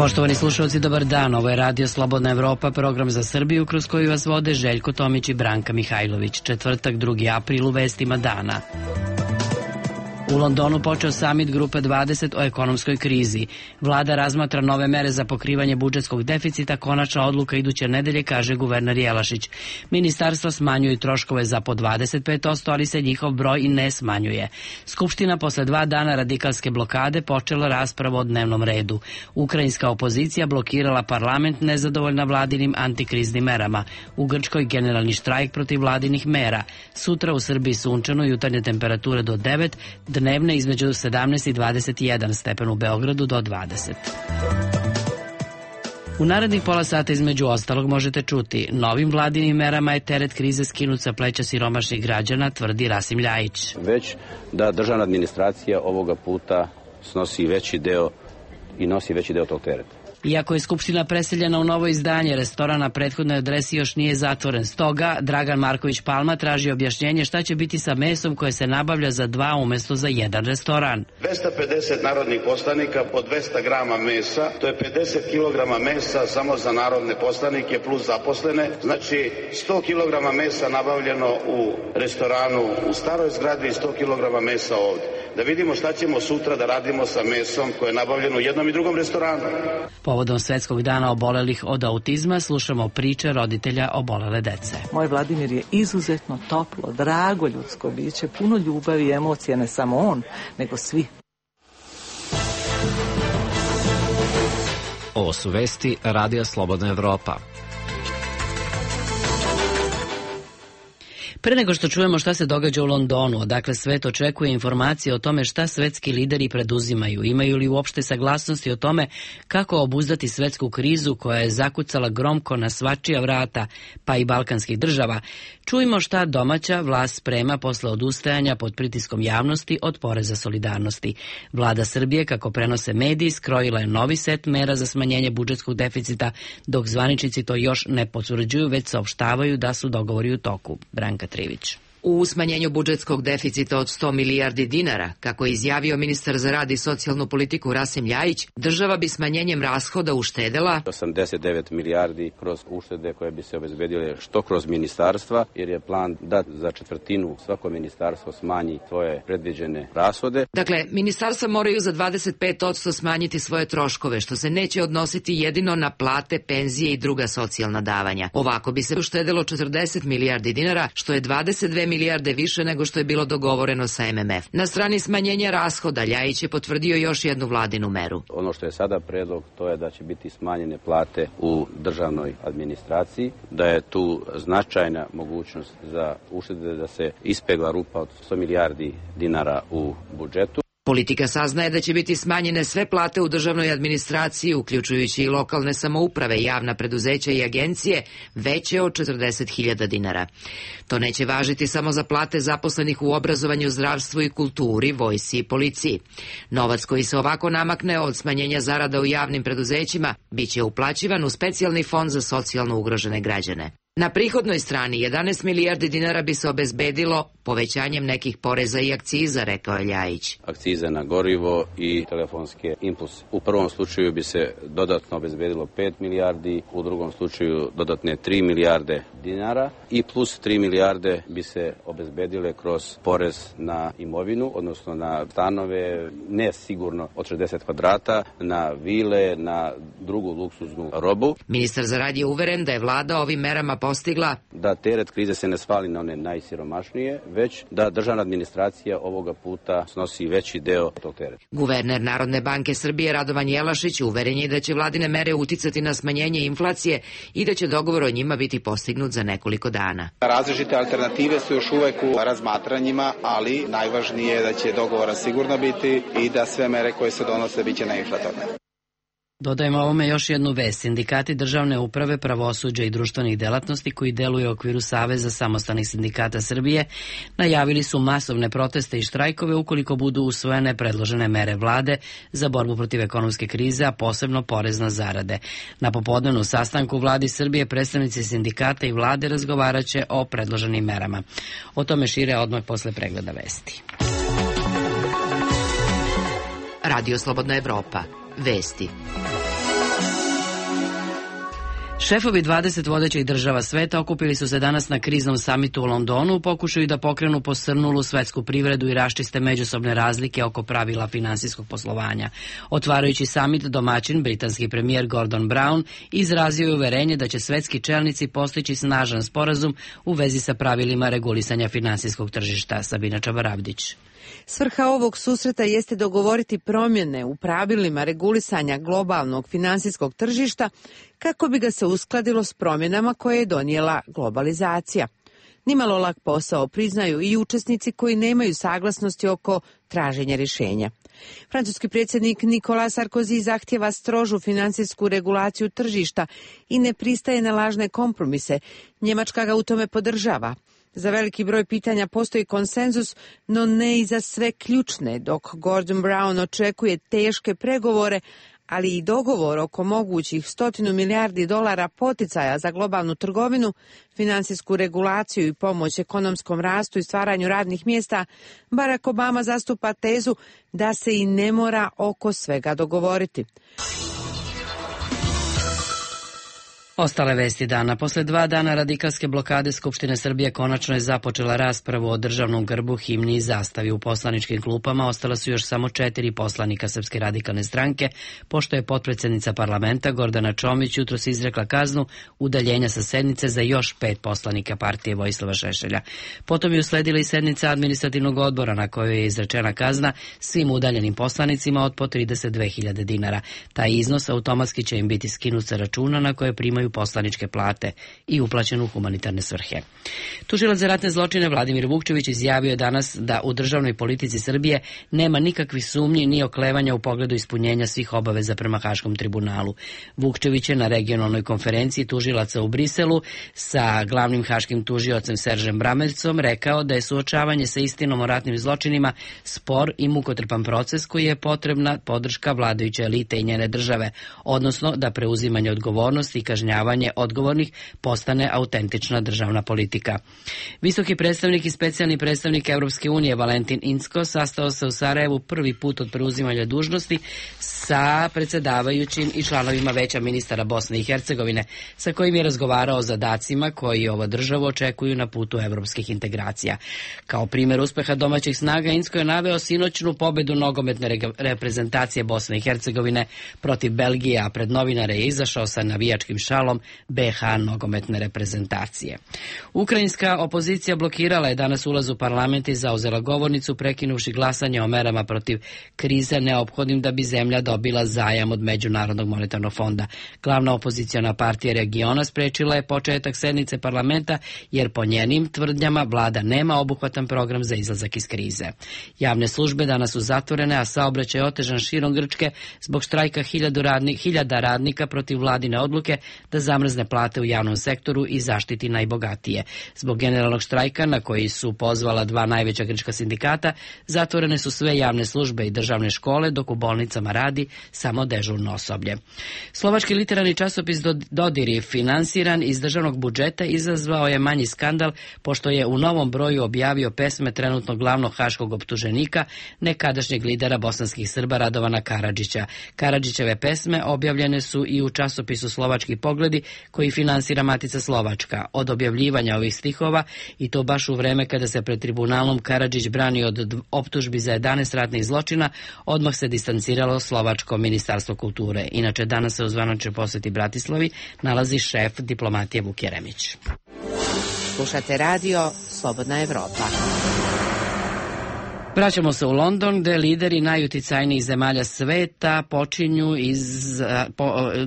Poštovani slušalci, dobar dan. Ovo je Radio Slobodna Evropa, program za Srbiju kroz koju vas vode Željko Tomić i Branka Mihajlović. Četvrtak, 2. april, u vestima dana. U Londonu počeo samit Grupe 20 o ekonomskoj krizi. Vlada razmatra nove mere za pokrivanje budžetskog deficita, konačna odluka iduće nedelje, kaže guverner Jelašić. Ministarstva smanjuju troškove za po 25%, ali se njihov broj i ne smanjuje. Skupština posle 2 dana radikalske blokade počela raspravu o dnevnom redu. Ukrajinska opozicija blokirala parlament nezadovoljna vladinim antikriznim merama. U Grčkoj generalni štrajk protiv vladinih mera. Sutra u Srbiji sunčano, jutarnje temperature do 9, dnevne između 17 i 21 stepen, u Beogradu do 20. U narednih pola sata između ostalog možete čuti: novim vladinim merama je teret krize skinut sa pleća siromašnih građana, tvrdi Rasim Ljajić. Već da državna administracija ovoga puta nosi veći deo tog tereta. Iako je Skupština preseljena u novo izdanje, restoran na prethodnoj adresi još nije zatvoren. Stoga Dragan Marković Palma traži objašnjenje šta će biti sa mesom koje se nabavlja za 2 umjesto za 1 restoran. 250 narodnih poslanika po 200 grama mesa, to je 50 kilograma mesa samo za narodne poslanike plus zaposlene. Znači 100 kilograma mesa nabavljeno u restoranu u staroj zgradi i 100 kilograma mesa ovdje. Da vidimo šta ćemo sutra da radimo sa mesom koje je nabavljeno u jednom i drugom restoranu. Povodom Svetskog dana obolelih od autizma slušamo priče roditelja obolele dece. Moj Vladimir je izuzetno toplo, drago ljudsko biće, puno ljubavi i emocija, ne samo on, nego svi. Ovo su vesti Radija Slobodna Evropa. Pre nego što čujemo šta se događa u Londonu, odakle svet očekuje informacije o tome šta svetski lideri preduzimaju, imaju li uopšte saglasnosti o tome kako obuzdati svetsku krizu koja je zakucala gromko na svačija vrata, pa i balkanskih država, čujmo šta domaća vlast sprema posle odustajanja pod pritiskom javnosti od poreza solidarnosti. Vlada Srbije, kako prenose mediji, skrojila je novi set mera za smanjenje budžetskog deficita, dok zvaničnici to još ne potvrđuju, već saopštavaju da su dogovori u toku. Branka Trivić. U smanjenju budžetskog deficita od 100 milijardi dinara, kako je izjavio ministar za rad i socijalnu politiku Rasim Ljajić, država bi smanjenjem rashoda uštedela 89 milijardi kroz uštede koje bi se obezbedile što kroz ministarstva, jer je plan da za četvrtinu svako ministarstvo smanji svoje predviđene rashode. Dakle, ministarstva moraju za 25% smanjiti svoje troškove, što se neće odnositi jedino na plate, penzije i druga socijalna davanja. Ovako bi se uštedelo 40 milijardi dinara, što je 22 milijarde više nego što je bilo dogovoreno sa MMF. Na strani smanjenja rashoda Ljajić je potvrdio još jednu vladinu meru. Ono što je sada predlog, to je da će biti smanjene plate u državnoj administraciji, da je tu značajna mogućnost za uštede, da se ispegla rupa od 100 milijardi dinara u budžetu. Politika saznaje da će biti smanjene sve plate u državnoj administraciji, uključujući i lokalne samouprave, javna preduzeća i agencije, veće od 40.000 dinara. To neće važiti samo za plate zaposlenih u obrazovanju, zdravstvu i kulturi, vojsci i policiji. Novac koji se ovako namakne od smanjenja zarada u javnim preduzećima biće uplaćivan u specijalni fond za socijalno ugrožene građane. Na prihodnoj strani 11 milijardi dinara bi se obezbedilo povećanjem nekih poreza i akciza, rekao je Ljajić. Akcize na gorivo i telefonske impulse. U prvom slučaju bi se dodatno obezbedilo 5 milijardi, u drugom slučaju dodatne 3 milijarde dinara i plus 3 milijarde bi se obezbedile kroz porez na imovinu, odnosno na stanove, ne sigurno od 60 kvadrata, na vile, na drugu luksuznu robu. Ministar za rad je uveren da je vlada ovim merama postigla da teret krize se ne svali na one najsiromašnije, već da državna administracija ovoga puta snosi veći deo tog tereta. Guverner Narodne banke Srbije Radovan Jelašić uveren je da će vladine mere uticati na smanjenje inflacije i da će dogovor o njima biti postignut za nekoliko dana. Različite alternative su još uvek u razmatranjima, ali najvažnije je da će dogovora sigurno biti i da sve mere koje se donose biće neinflatorne. Dodajemo ovome još jednu vest. Sindikati državne uprave, pravosuđa i društvenih delatnosti koji deluju u okviru Saveza samostalnih sindikata Srbije najavili su masovne proteste i štrajkove ukoliko budu usvojene predložene mere vlade za borbu protiv ekonomske krize, a posebno porez na zarade. Na popodnevnu sastanku vladi Srbije predstavnici sindikata i vlade razgovaraće o predloženim merama. O tome šire odmah posle pregleda vesti. Radio Slobodna Evropa. Vesti. Šefovi 20 vodećih država sveta okupili su se danas na kriznom samitu u Londonu u pokušaju da pokrenu posrnulu svetsku privredu i raščiste međusobne razlike oko pravila finansijskog poslovanja. Otvarajući samit, domaćin, britanski premijer Gordon Brown, izrazio je uverenje da će svetski čelnici postići snažan sporazum u vezi sa pravilima regulisanja finansijskog tržišta. Sabina Čabaravdić. Svrha ovog susreta jeste dogovoriti promjene u pravilima regulisanja globalnog finansijskog tržišta kako bi ga se uskladilo s promjenama koje je donijela globalizacija. Nimalo lak posao priznaju i učesnici koji nemaju saglasnosti oko traženja rješenja. Francuski predsjednik Nicolas Sarkozy zahtjeva strožu finansijsku regulaciju tržišta i ne pristaje na lažne kompromise. Njemačka ga u tome podržava. Za veliki broj pitanja postoji konsenzus, no ne i za sve ključne, dok Gordon Brown očekuje teške pregovore, ali i dogovor oko mogućih $100 milijardi poticaja za globalnu trgovinu, finansijsku regulaciju i pomoć ekonomskom rastu i stvaranju radnih mjesta. Barack Obama zastupa tezu da se i ne mora oko svega dogovoriti. Ostale vesti dana. Posle 2 dana radikalske blokade Skupštine Srbije konačno je započela raspravu o državnom grbu, himni i zastavi. U poslaničkim klupama ostala su još samo 4 poslanika Srpske radikalne stranke, pošto je potpredsjednica parlamenta Gordana Čomić jutros izrekla kaznu udaljenja sa sednice za još 5 poslanika partije Vojislava Šešelja. Potom je usledila i sednica administrativnog odbora na kojoj je izrečena kazna svim udaljenim poslanicima od po 32.000 dinara. Taj iznos automatski će im biti skinut sa računa na koje primaju poslaničke plate i uplaćen u humanitarne svrhe. Tužilac za ratne zločine Vladimir Vukčević izjavio je danas da u državnoj politici Srbije nema nikakvih sumnji ni oklevanja u pogledu ispunjenja svih obaveza prema Haškom tribunalu. Vukčević je na regionalnoj konferenciji tužilaca u Briselu sa glavnim haškim tužiocem Seržem Bramercom rekao da je suočavanje sa istinom o ratnim zločinima spor i mukotrpan proces koji je potrebna podrška vladajuće elite i njene države, odnosno da preuzimanje odgovornosti i kažnjavanje odgovornih postane autentična državna politika. Visoki predstavnik i specijalni predstavnik Europske unije Valentin Incko sastao se u Sarajevu prvi put od preuzimanja dužnosti sa predsjedavajućim i članovima Veća ministara Bosne i Hercegovine, sa kojim je razgovarao o zadacima koji ovo državu očekuju na putu evropskih integracija. Kao primjer uspeha domaćih snaga, Incko je naveo sinoćnu pobedu nogometne reprezentacije Bosne i Hercegovine protiv Belgije, a pred novinare je izašao sa navijačkim šalom BH nogometne reprezentacije. Ukrajinska opozicija blokirala je danas ulaz u parlament i zauzela govornicu, prekinuvši glasanje o merama protiv krize neophodnim da bi zemlja dobila zajam od Međunarodnog monetarnog fonda. Glavna opoziciona partija regiona sprečila je početak sednice parlamenta jer po njenim tvrdnjama vlada nema obuhvatan program za izlazak iz krize. Javne službe danas su zatvorene, a saobraćaj je otežan širom Grčke zbog štrajka hiljada radnika protiv vladine odluke da zamrzne plate u javnom sektoru i zaštiti najbogatije. Zbog generalnog štrajka na koji su pozvala 2 najveća grčka sindikata, zatvorene su sve javne službe i državne škole, dok u bolnicama radi samo dežurno osoblje. Slovački literarni časopis Dodiri, finansiran iz državnog budžeta, izazvao je manji skandal pošto je u novom broju objavio pesme trenutno glavnog haškog optuženika, nekadašnjeg lidera bosanskih Srba Radovana Karadžića. Karadžićeve pesme objavljene su i u časopisu Slovački pogledi koji finansira Matica Slovačka. Od objavljivanja ovih stihova, i to baš u vreme kada se pred tribunalom Karadžić brani od optužbi za 11 ratnih zločina, odmah se distanciralo Slovačko ministarstvo kulture. Inače, danas se u zvaničnoj posjeti Bratislavi nalazi šef diplomatije Vuk Jeremić. Slušate radio Slobodna Evropa. Vraćamo se u London, gde lideri najuticajnijih zemalja sveta počinju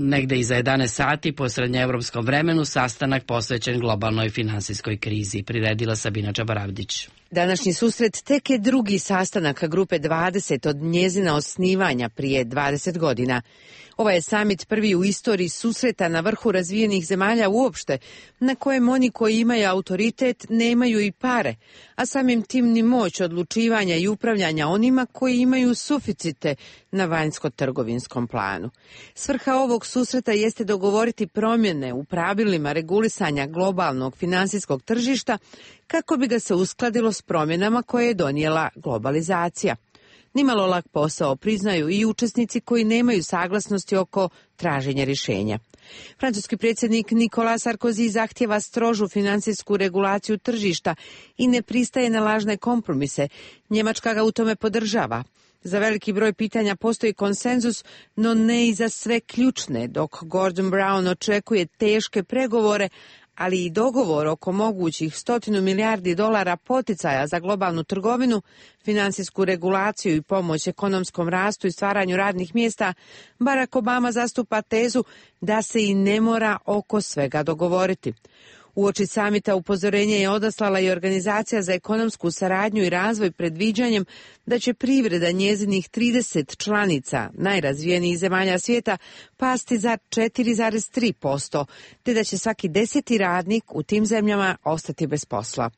negde iza 11 sati po srednjeevropskom vremenu sastanak posvećen globalnoj finansijskoj krizi. Priredila Sabina Čabaravdić. Današnji susret tek je drugi sastanak grupe 20 od njezina osnivanja prije 20 godina. Ovaj je samit prvi u istoriji susreta na vrhu razvijenih zemalja uopšte, na kojem oni koji imaju autoritet nemaju i pare, a samim tim ni moć odlučivanja i upravljanja onima koji imaju suficite na vanjsko-trgovinskom planu. Svrha ovog susreta jeste dogovoriti promjene u pravilima regulisanja globalnog finansijskog tržišta kako bi ga se uskladilo s promjenama koje je donijela globalizacija. nimalo lak posao, priznaju i učesnici koji nemaju saglasnosti oko traženja rješenja. Francuski predsjednik Nicolas Sarkozy zahtjeva strožu finansijsku regulaciju tržišta i ne pristaje na lažne kompromise. Njemačka ga u tome podržava. Za veliki broj pitanja postoji konsenzus, no ne i za sve ključne, dok Gordon Brown očekuje teške pregovore, ali i dogovor oko mogućih $100 milijardi poticaja za globalnu trgovinu, finansijsku regulaciju i pomoć ekonomskom rastu i stvaranju radnih mjesta. Barack Obama zastupa tezu da se i ne mora oko svega dogovoriti. Uoči samita upozorenje je odaslala i Organizacija za ekonomsku saradnju i razvoj predviđanjem da će privreda njezinih 30 članica najrazvijenijih zemalja svijeta pasti za 4,3%, te da će svaki 10. radnik u tim zemljama ostati bez posla.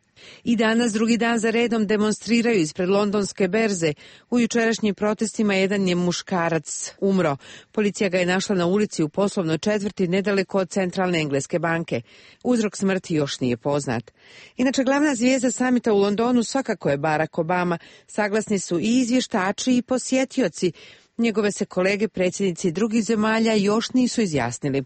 I danas drugi dan za redom demonstriraju ispred londonske berze. U jučerašnjim protestima jedan je muškarac umro. Policija ga je našla na ulici u poslovnoj četvrti nedaleko od centralne engleske banke. Uzrok smrti još nije poznat. Inače, glavna zvijezda samita u Londonu svakako je Barack Obama. Saglasni su i izvještači i posjetioci. Njegove se kolege predsjednici drugih zemalja još nisu izjasnili.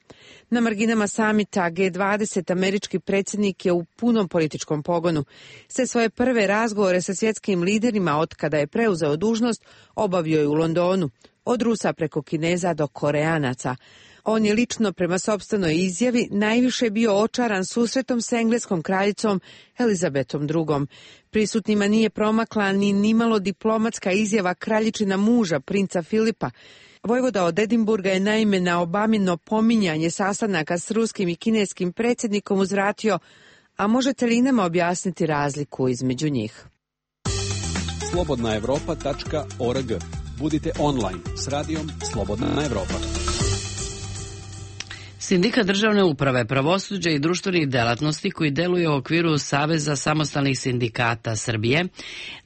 Na marginama samita G20 američki predsjednik je u punom političkom pogonu. Sve svoje prve razgovore sa svjetskim liderima od kada je preuzeo dužnost obavio je u Londonu, od Rusa preko Kineza do Koreanaca. On je lično prema sopstvenoj izjavi najviše bio očaran susretom s engleskom kraljicom Elizabetom II. Prisutnima nije promakla ni nimalo diplomatska izjava kraljičina muža, princa Filipa. Vojvoda od Edinburga je naime na Obamino pominjanje sastanaka s ruskim i kineskim predsjednikom uzvratio: a možete li nama objasniti razliku između njih? slobodnaevropa.org. Budite online s radijom Slobodna Evropa. Sindikat državne uprave, pravosuđa i društvenih delatnosti koji deluje u okviru Saveza samostalnih sindikata Srbije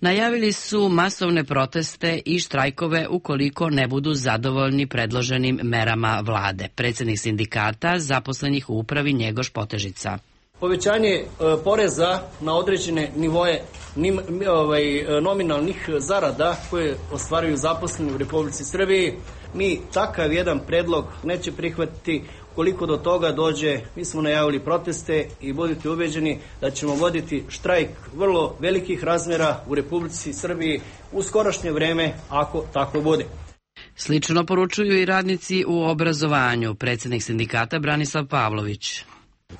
najavili su masovne proteste i štrajkove ukoliko ne budu zadovoljni predloženim merama vlade. Predsjednik sindikata zaposlenih u upravi Njegoš Potežica. Povećanje poreza na određene nivoje nominalnih zarada koje ostvaruju zaposleni u Republici Srbiji, mi takav jedan predlog neće prihvatiti. Koliko do toga dođe, mi smo najavili proteste i budite ubeđeni da ćemo voditi štrajk vrlo velikih razmjera u Republici Srbiji u skorašnje vreme, ako tako bude. Slično poručuju i radnici u obrazovanju. Predsjednik sindikata Branislav Pavlović.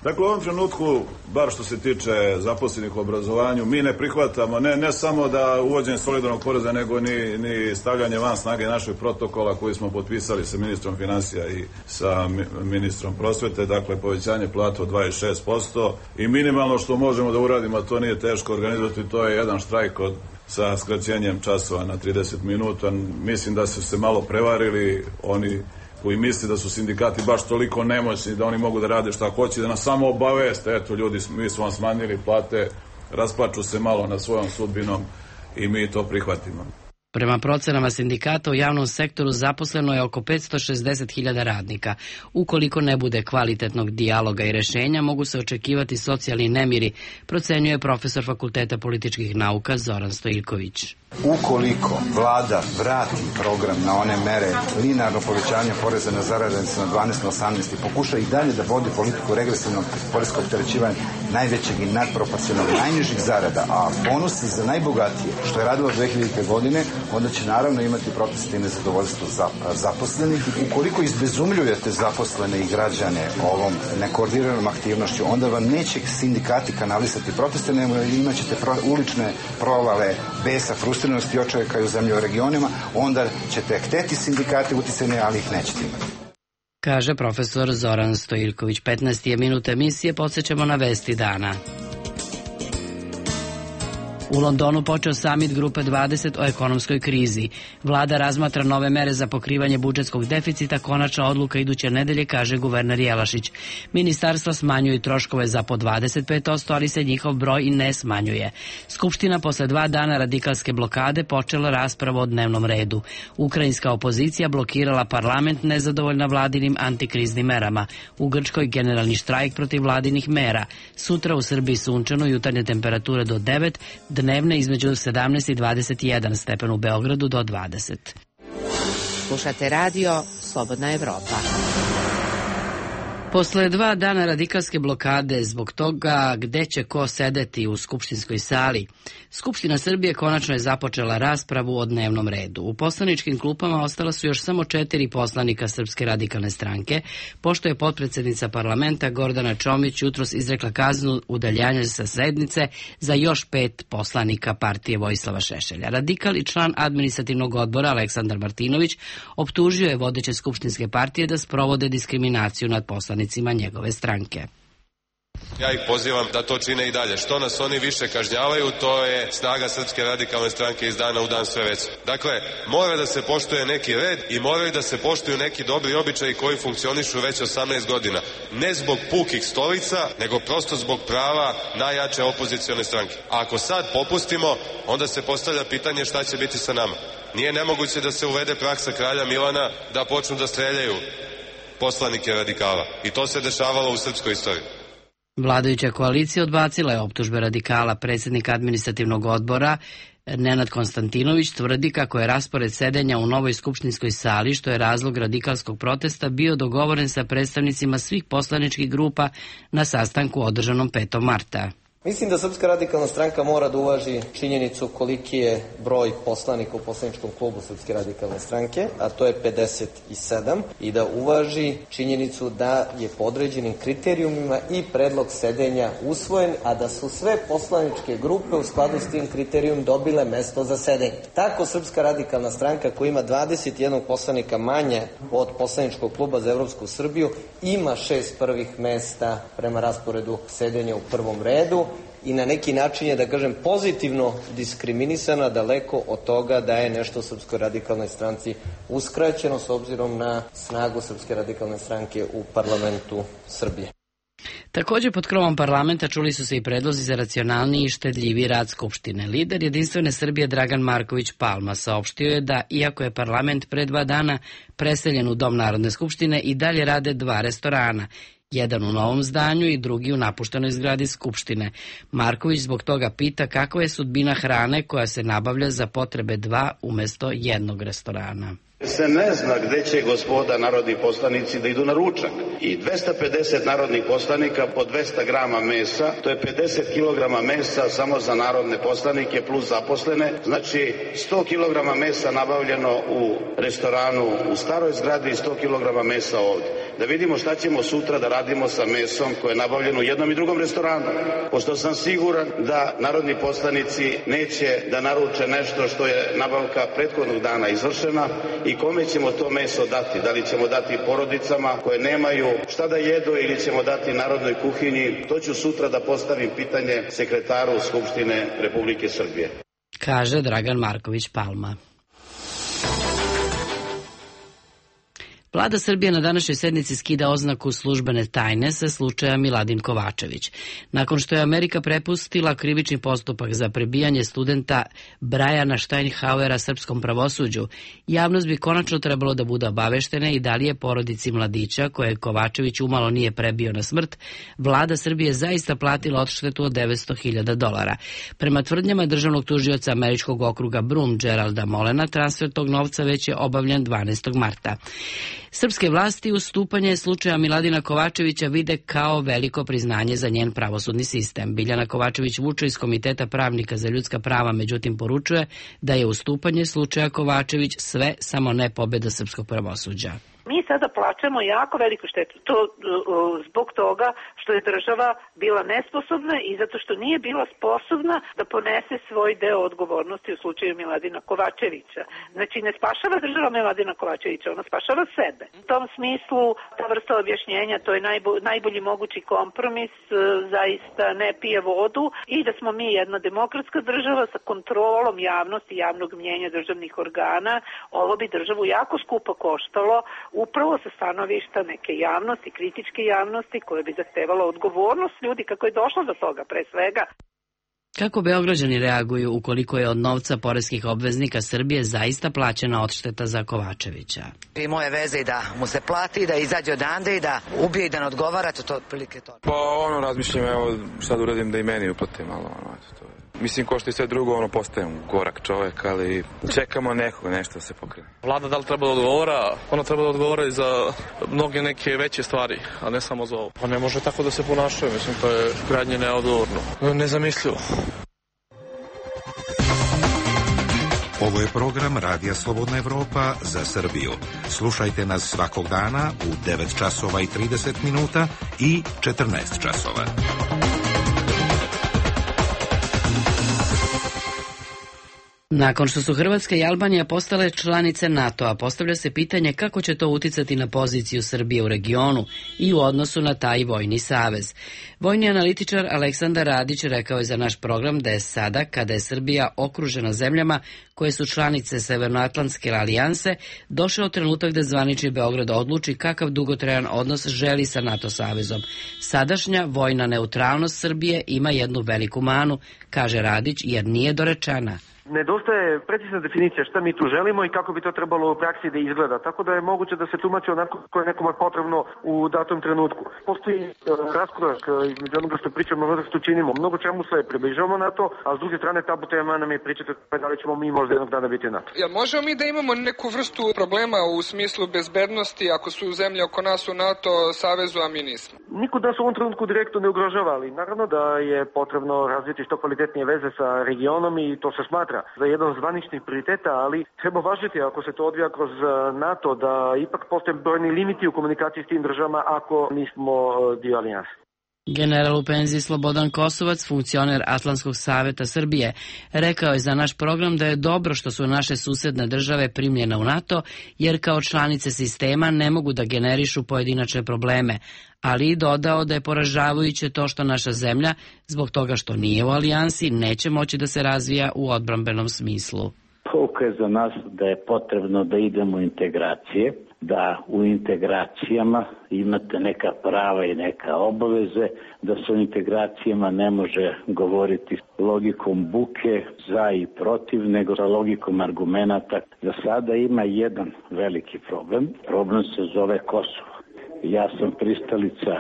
Dakle, u ovom trenutku, bar što se tiče zaposlenih u obrazovanju, mi ne prihvatamo ne samo da uvođenje solidarnog poreza, nego ni stavljanje van snage našeg protokola koji smo potpisali sa ministrom financija i sa ministrom prosvete, dakle povećanje plata od 26% i minimalno što možemo da uradimo, a to nije teško organizovati, to je jedan štrajk sa skraćenjem časova na 30 minuta. Mislim da su se malo prevarili oni koji misli da su sindikati baš toliko nemoćni da oni mogu da rade šta hoće, da nas samo obaveste, eto ljudi, mi smo vam smanjili plate, rasplaču se malo nad svojom sudbinom i mi to prihvatimo. Prema procenama sindikata u javnom sektoru zaposleno je oko 560.000 radnika. Ukoliko ne bude kvalitetnog dijaloga i rešenja, mogu se očekivati socijalni nemiri, procenjuje profesor Fakulteta političkih nauka Zoran Stojiljković. Ukoliko vlada vrati program na one mere linearno povećanja poreza na zarade na 12 na 18 i pokuša i dalje da vodi politiku regresivnog poreskog opterećivanja najvećeg i nadproporcionalnog najnižih zarada, a bonusi za najbogatije, što je radilo 2000. godine, onda će naravno imati proteste i nezadovoljstvo zaposlenih. Ukoliko izbezumljujete zaposlene i građane ovom nekoordiniranom aktivnošću, onda vam neće sindikati kanalisati proteste, nego imat ćete ulične provale besa, frustriranosti i očajka u zemlji u regionima, onda ćete hteti sindikate uticajne, ali ih nećete imati. Kaže profesor Zoran Stojiljković. 15 je minut emisije, podsjećamo na vesti dana. U Londonu počeo samit Grupe 20 o ekonomskoj krizi. Vlada razmatra nove mere za pokrivanje budžetskog deficita, konačna odluka iduće nedelje, kaže guverner Jelašić. Ministarstva smanjuju troškove za po 25%, ali se njihov broj i ne smanjuje. Skupština posle 2 dana radikalske blokade počela raspravu o dnevnom redu. Ukrajinska opozicija blokirala parlament nezadovoljna vladinim antikriznim merama. U Grčkoj generalni štrajk protiv vladinih mera. Sutra u Srbiji sunčano, jutarnje temperature do 9, dnevne između 17 i 21 stepen, u Beogradu do 20. Slušate radio Slobodna Evropa. Posle 2 dana radikalske blokade zbog toga gde će ko sedeti u skupštinskoj sali, Skupština Srbije konačno je započela raspravu o dnevnom redu. U poslaničkim klupama ostala su još samo 4 poslanika Srpske radikalne stranke, pošto je potpredsednica parlamenta Gordana Čomić jutros izrekla kaznu udaljanja sa sednice za još 5 poslanika partije Vojislava Šešelja. Radikal i član administrativnog odbora Aleksandar Martinović optužio je vodeće skupštinske partije da sprovode diskriminaciju nad poslanicima njegove stranke. Ja ih pozivam da to čine i dalje. Što nas oni više kažnjavaju, to je snaga Srpske radikalne stranke iz dana u dan sve veća. Dakle, mora da se poštuje neki red i moraju da se poštuju neki dobri običaji koji funkcionišu već 18 godina. Ne zbog pukih stolica, nego prosto zbog prava najjače opozicione stranke. A ako sad popustimo, onda se postavlja pitanje šta će biti sa nama. Nije nemoguće da se uvede praksa kralja Milana da počnu da streljaju poslanike radikala. I to se dešavalo u srpskoj istoriji. Vladajuća koalicija odbacila je optužbe radikala. Predsjednik administrativnog odbora Nenad Konstantinović tvrdi kako je raspored sedenja u novoj skupštinskoj sali, što je razlog radikalskog protesta, bio dogovoren sa predstavnicima svih poslaničkih grupa na sastanku održanom 5. marta. Mislim da Srpska radikalna stranka mora da uvaži činjenicu koliki je broj poslanika u poslaničkom klubu Srpske radikalne stranke, a to je 57, i da uvaži činjenicu da je po određenim kriterijumima i predlog sedenja usvojen, a da su sve poslaničke grupe u skladu s tim kriterijum dobile mesto za sedenje. Tako Srpska radikalna stranka, koja ima 21 poslanika manje od poslaničkog kluba za Evropsku Srbiju, ima 6 prvih mesta prema rasporedu sedenja u prvom redu, i na neki način je, da kažem, pozitivno diskriminisana, daleko od toga da je nešto Srpskoj radikalnoj stranci uskraćeno s obzirom na snagu Srpske radikalne stranke u parlamentu Srbije. Također pod krovom parlamenta čuli su se i predlozi za racionalniji i štedljiviji rad Skupštine. Lider Jedinstvene Srbije Dragan Marković Palma saopštio je da, iako je parlament pre 2 dana preseljen u Dom Narodne skupštine, i dalje rade 2 restorana. Jedan u novom zdanju i drugi u napuštenoj zgradi Skupštine. Marković zbog toga pita kakva je sudbina hrane koja se nabavlja za potrebe 2 umjesto 1 restorana. Se ne zna gde će gospoda narodni poslanici da idu na ručak. I 250 narodnih poslanika po 200 grama mesa, to je 50 kilograma mesa samo za narodne poslanike plus zaposlene. Znači 100 kilograma mesa nabavljeno u restoranu u staroj zgradi i 100 kilograma mesa ovdje. Da vidimo šta ćemo sutra da radimo sa mesom koje je nabavljeno u jednom i drugom restoranu. Pošto sam siguran da narodni poslanici neće da naruče nešto što je nabavka prethodnog dana izvršena, i kome ćemo to meso dati? Da li ćemo dati porodicama koje nemaju šta da jedu ili ćemo dati narodnoj kuhinji? To ću sutra da postavim pitanje sekretaru Skupštine Republike Srbije. Kaže Dragan Marković Palma. Vlada Srbije na današnjoj sednici skida oznaku službene tajne sa slučaja Miladin Kovačević. Nakon što je Amerika prepustila krivični postupak za prebijanje studenta Brajana Steinhauera srpskom pravosuđu, javnost bi konačno trebalo da bude obaveštena i da li je porodici mladića, koje Kovačević umalo nije prebio na smrt, vlada Srbije zaista platila odštetu od $900.000. Prema tvrdnjama državnog tužioca američkog okruga Brum Geralda Molena, transfer tog novca već je obavljen 12. marta. Srpske vlasti ustupanje slučaja Miladina Kovačevića vide kao veliko priznanje za njen pravosudni sistem. Biljana Kovačević-Vučo iz Komiteta pravnika za ljudska prava međutim poručuje da je ustupanje slučaja Kovačević sve samo ne pobjeda srpskog pravosuđa. Mi sada plaćamo jako veliku štetu. To zbog toga što je država bila nesposobna i zato što nije bila sposobna da ponese svoj deo odgovornosti u slučaju Miladina Kovačevića. Znači, ne spašava država Miladina Kovačevića, ona spašava sebe. U tom smislu, ta vrsta objašnjenja, to je najbolji mogući kompromis, zaista ne pije vodu, i da smo mi jedna demokratska država sa kontrolom javnosti, javnog mnjenja državnih organa. Ovo bi državu jako skupo koštalo, upravo sa stanovišta neke javnosti, kritičke javnosti, koje bi zahtevala odgovornost ljudi kako je došlo do toga pre svega. Kako Beograđani reaguju ukoliko je od novca poreskih obveznika Srbije zaista plaćena odšteta za Kovačevića? I moje veze i da mu se plati, da izađe odande i da ubije i da ne odgovara, to otprilike to. Pa razmišljam, evo šta da uradim da i meni uplatim malo. Mislim, ko što i sve drugo, postajem gorak čovek, ali čekamo nešto se pokrene. Vlada da li treba da odgovara? Ona treba da odgovara i za mnoge neke veće stvari, a ne samo za ovo. Pa ne može tako da se ponašaju, mislim, to je krajnje neodgovorno. Nezamislivo. Ovo je program Radija Slobodna Evropa za Srbiju. Slušajte nas svakog dana u 9 časova i 30 minuta i 14 časova. Nakon što su Hrvatska i Albanija postale članice NATO-a, postavlja se pitanje kako će to uticati na poziciju Srbije u regionu i u odnosu na taj vojni savez. Vojni analitičar Aleksandar Radić rekao je za naš program da je sada, kada je Srbija okružena zemljama koje su članice Severnoatlantske alijanse, došao trenutak da zvanični Beograd odluči kakav dugotrajan odnos želi sa NATO savezom. Sadašnja vojna neutralnost Srbije ima jednu veliku manu, kaže Radić, jer nije dorečena. Nedostaje precizna definicija šta mi tu želimo i kako bi to trebalo u praksi da izgleda, tako da je moguće da se tumači onako koje je nekome potrebno u datom trenutku. Postoji raskorak između onoga što pričamo i onoga što činimo. Mnogo čemu se približavamo NATO, a s druge strane tabu tema nam je pričati da li ćemo mi možda jednog dana biti NATO. Jel možemo mi da imamo neku vrstu problema u smislu bezbednosti ako su zemlje oko nas u NATO savezu, a mi nismo? Niko da se u ovom trenutku direktno ne ugrožava, ali naravno da je potrebno razviti što kvalitetnije veze sa regionom i to se smatra za jedan od zvaničnih prioriteta, ali treba važiti ako se to odvija kroz NATO da ipak postoje brojni limiti u komunikaciji s tim državama ako nismo dio alijanse. General u penziji Slobodan Kosovac, funkcioner Atlantskog saveta Srbije, rekao je za naš program da je dobro što su naše susedne države primljene u NATO, jer kao članice sistema ne mogu da generišu pojedinačne probleme, ali i dodao da je poražavajuće to što naša zemlja, zbog toga što nije u alijansi, neće moći da se razvija u odbrambenom smislu. Pouka je za nas da je potrebno da idemo u integracije, da u integracijama imate neka prava i neka obaveze, da se u integracijama ne može govoriti logikom buke za i protiv, nego sa logikom argumenata. Za sada ima jedan veliki problem. Problem se zove Kosovo. Ja sam pristalica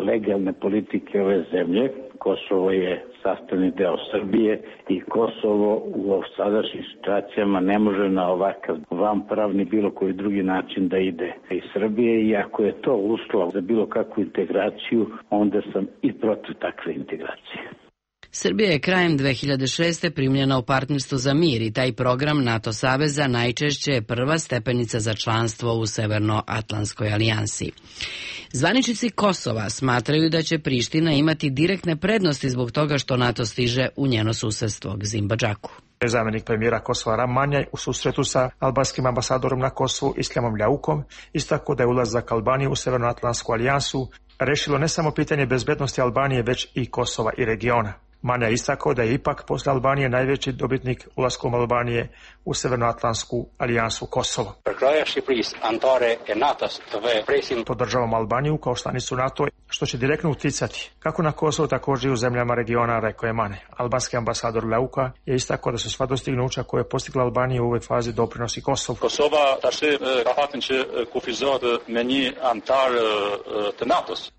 legalne politike ove zemlje. Kosovo je sastavni deo Srbije i Kosovo u sadašnjim situacijama ne može na ovakav vanpravni bilo koji drugi način da ide iz Srbije i ako je to uslov za bilo kakvu integraciju, onda sam i protiv takve integracije. Srbija je krajem 2006. primljena u Partnerstvo za mir i taj program NATO saveza najčešće je prva stepenica za članstvo u Severnoatlantskoj alijansi. Zvaničnici Kosova smatraju da će Priština imati direktne prednosti zbog toga što NATO stiže u njeno susedstvo, Gzimba Džaku. Zamjenik premijera Kosova Ram Manjaj u susretu sa albanskim ambasadorom na Kosovu Islamom Ljaukom istakao da je ulazak Albanije u Severnoatlantsku alijansu rešilo ne samo pitanje bezbednosti Albanije, već i Kosova i regiona. Manja je istakao da je ipak posle Albanije najveći dobitnik ulaskom Albanije u Severnoatlantsku alijansu Kosovo. Podržavamo Albaniju kao članicu NATO, što će direktno uticati kako na Kosovo, također i u zemljama regiona, rekao je Mane. Albanski ambasador Leuka je istakao da su sva dostignuća koje je postigla Albanija u ovoj fazi doprinosi Kosovu.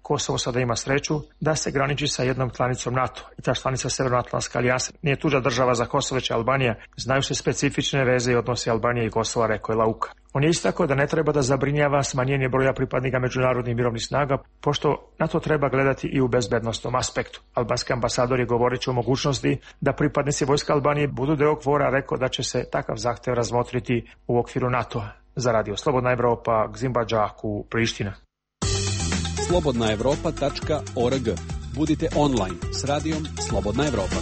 Kosovo sada ima sreću da se graniči sa jednom članicom NATO i ta članica Severnoatlantska alijansa nije tuđa država za Kosovo, već Albanija. Znaju se specifične veze i odnosi Albanije i Kosova, rekao je Lauka. On je istakao da ne treba da zabrinjava smanjenje broja pripadnika međunarodnih mirovnih snaga, pošto na to treba gledati i u bezbednostnom aspektu. Albanski ambasador je govoreći o mogućnosti da pripadnici vojska Albanije budu deo KFOR-a, rekao da će se takav zahtev razmotriti u okviru NATO-a. Za Radio Slobodna Evropa, Gzimba Džaku, Priština. slobodnaevropa.org. Budite online s radijom Slobodna Evropa.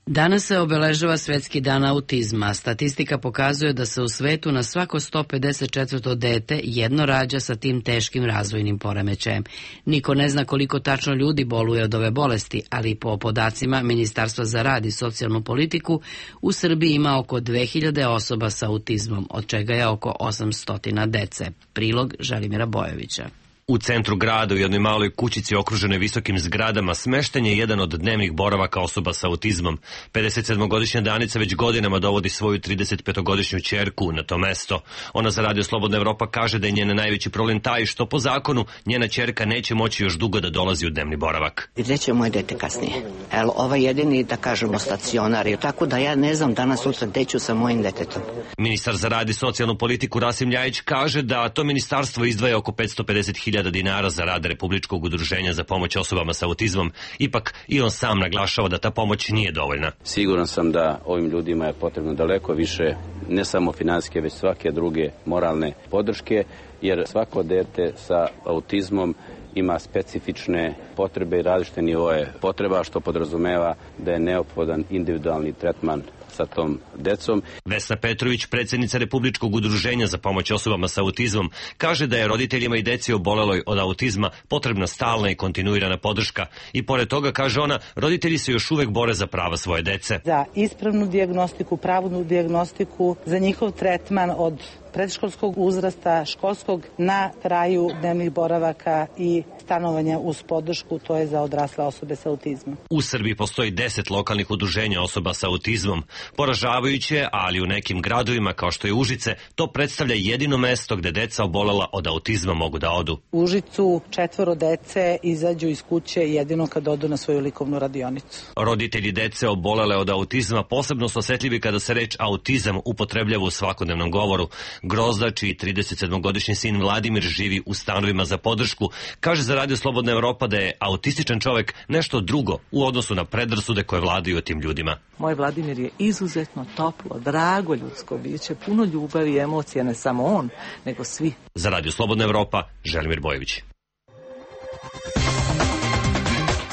Danas se obeležava Svetski dan autizma. Statistika pokazuje da se u svetu na svako 154. dete jedno rađa sa tim teškim razvojnim poremećajem. Niko ne zna koliko tačno ljudi boluje od ove bolesti, ali po podacima Ministarstva za rad i socijalnu politiku u Srbiji ima oko 2000 osoba sa autizmom, od čega je oko 800 dece. Prilog Želimira Bojovića. U centru grada u jednoj maloj kućici okruženoj visokim zgradama smešten je jedan od dnevnih boravaka osoba sa autizmom. 57-godišnja Danica već godinama dovodi svoju 35-godišnju ćerku na to mesto. Ona za Radio Slobodna Evropa kaže da je njen najveći problem taj što po zakonu njena ćerka neće moći još dugo da dolazi u dnevni boravak. Gde će moje dete kasnije? Evo, ovaj jedini, da kažemo, stacionar je, tako da ja ne znam danas sutra gde ću sa mojim detetom. Ministar za rad i socijalnu politiku Rasim Ljajić kaže da to ministarstvo izdvaja oko 550.000 dinara za rad Republičkog udruženja za pomoć osobama sa autizmom. Ipak i on sam naglašava da ta pomoć nije dovoljna. Siguran sam da ovim ljudima je potrebno daleko više, ne samo finansijske, već svake druge moralne podrške, jer svako dete sa autizmom ima specifične potrebe i različite nivoe potreba, što podrazumeva da je neophodan individualni tretman sa tom decom. Vesna Petrović, predsjednica Republičkog udruženja za pomoć osobama sa autizmom, kaže da je roditeljima i deci oboleloj od autizma potrebna stalna i kontinuirana podrška. I pored toga, kaže ona, roditelji se još uvek bore za prava svoje dece. Za ispravnu dijagnostiku, pravilnu dijagnostiku, za njihov tretman od predškolskog uzrasta, školskog, na kraju dnevnih boravaka i stanovanja uz podršku, to je za odrasle osobe sa autizmom. U Srbiji postoji 10 lokalnih udruženja osoba sa autizmom. Poražavajuće, ali u nekim gradovima kao što je Užice, to predstavlja jedino mesto gde deca obolela od autizma mogu da odu. U Užicu 4 dece izađu iz kuće jedino kad odu na svoju likovnu radionicu. Roditelji dece obolele od autizma posebno su osetljivi kada se reč autizam upotrebljava u svakodnevnom govoru. Grozda, čiji 37-godišnji sin Vladimir živi u stanovima za podršku, kaže za Radio Slobodna Evropa da je autističan čovek nešto drugo u odnosu na predrasude koje vladaju o tim ljudima. Moj Vladimir je izuzetno toplo, drago ljudsko biće, puno ljubavi i emocija, ne samo on, nego svi. Za Radio Slobodna Evropa, Želimir Bojević.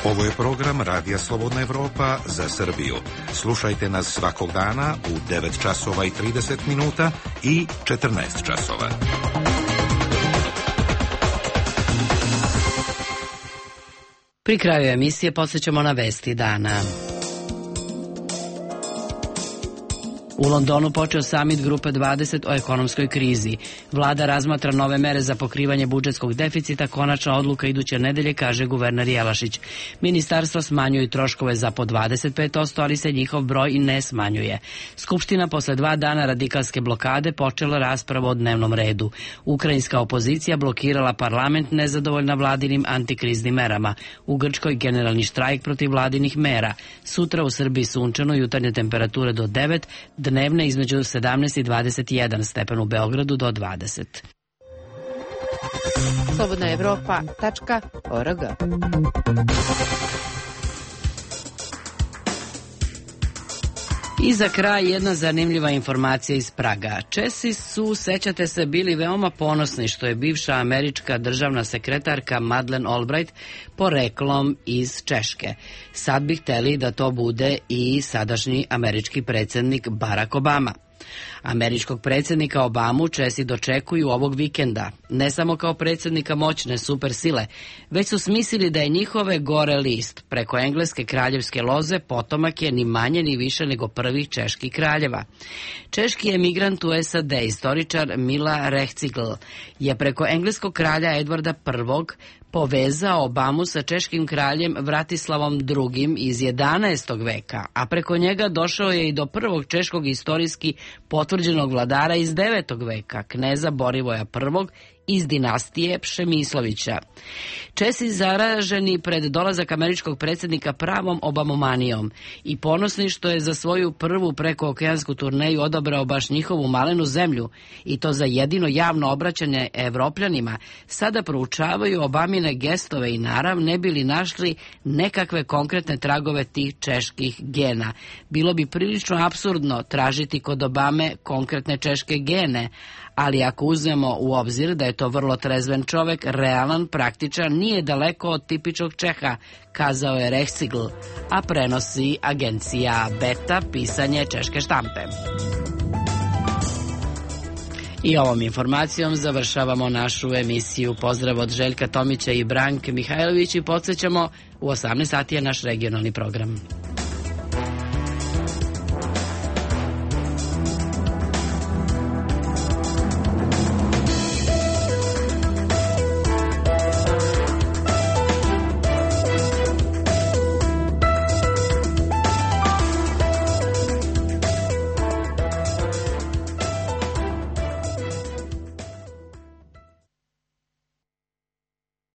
Ovo je program Radija Slobodna Evropa za Srbiju. Slušajte nas svakog dana u 9 časova i 30 minuta i 14 časova. Pri kraju emisije podsjećamo na vesti dana. U Londonu počeo samit Grupe 20 o ekonomskoj krizi. Vlada razmatra nove mere za pokrivanje budžetskog deficita, konačna odluka iduće nedelje, kaže guverner Jelašić. Ministarstva smanjuju troškove za po 25%, ali se njihov broj i ne smanjuje. Skupština posle 2 dana radikalske blokade počela raspravu o dnevnom redu. Ukrajinska opozicija blokirala parlament nezadovoljna vladinim antikriznim merama. U Grčkoj generalni štrajk protiv vladinih mera. Sutra u Srbiji sunčano, jutarnje temperature do 9, dnevne između 17 i 21 stepen, u Beogradu do 20. slobodnaevropa.org. I za kraj jedna zanimljiva informacija iz Praga. Česi su, sećate se, bili veoma ponosni što je bivša američka državna sekretarka Madeleine Albright poreklom iz Češke. Sad bi hteli da to bude i sadašnji američki predsjednik Barack Obama. Američkog predsjednika Obamu Česi dočekuju ovog vikenda, ne samo kao predsjednika moćne supersile, već su smislili da je njihove gore list preko engleske kraljevske loze potomak je ni manje ni više nego prvih čeških kraljeva. Češki emigrant u SAD, istoričar Mila Rehcigl, je preko engleskog kralja Edvarda I povezao Obamu sa češkim kraljem Vratislavom II iz 11. veka, a preko njega došao je i do prvog češkog istorijski potvrđenog vladara iz 9. veka, kneza Borivoja I iz dinastije Pšemislovića. Česi zaraženi pred dolazak američkog predsjednika pravom obamomanijom i ponosni što je za svoju prvu prekookeansku turneju odabrao baš njihovu malenu zemlju i to za jedino javno obraćanje Evropljanima, sada proučavaju Obamine gestove i narav ne bili našli nekakve konkretne tragove tih čeških gena. Bilo bi prilično apsurdno tražiti kod Obame konkretne češke gene, ali ako uzmemo u obzir da je to vrlo trezven čovek, realan, praktičan, nije daleko od tipičnog Čeha, kazao je Rehcigl, a prenosi agencija Beta, pisanje češke štampe. I ovom informacijom završavamo našu emisiju. Pozdrav od Željka Tomića i Branke Mihajlović i podsjećamo, u 18 sati je naš regionalni program.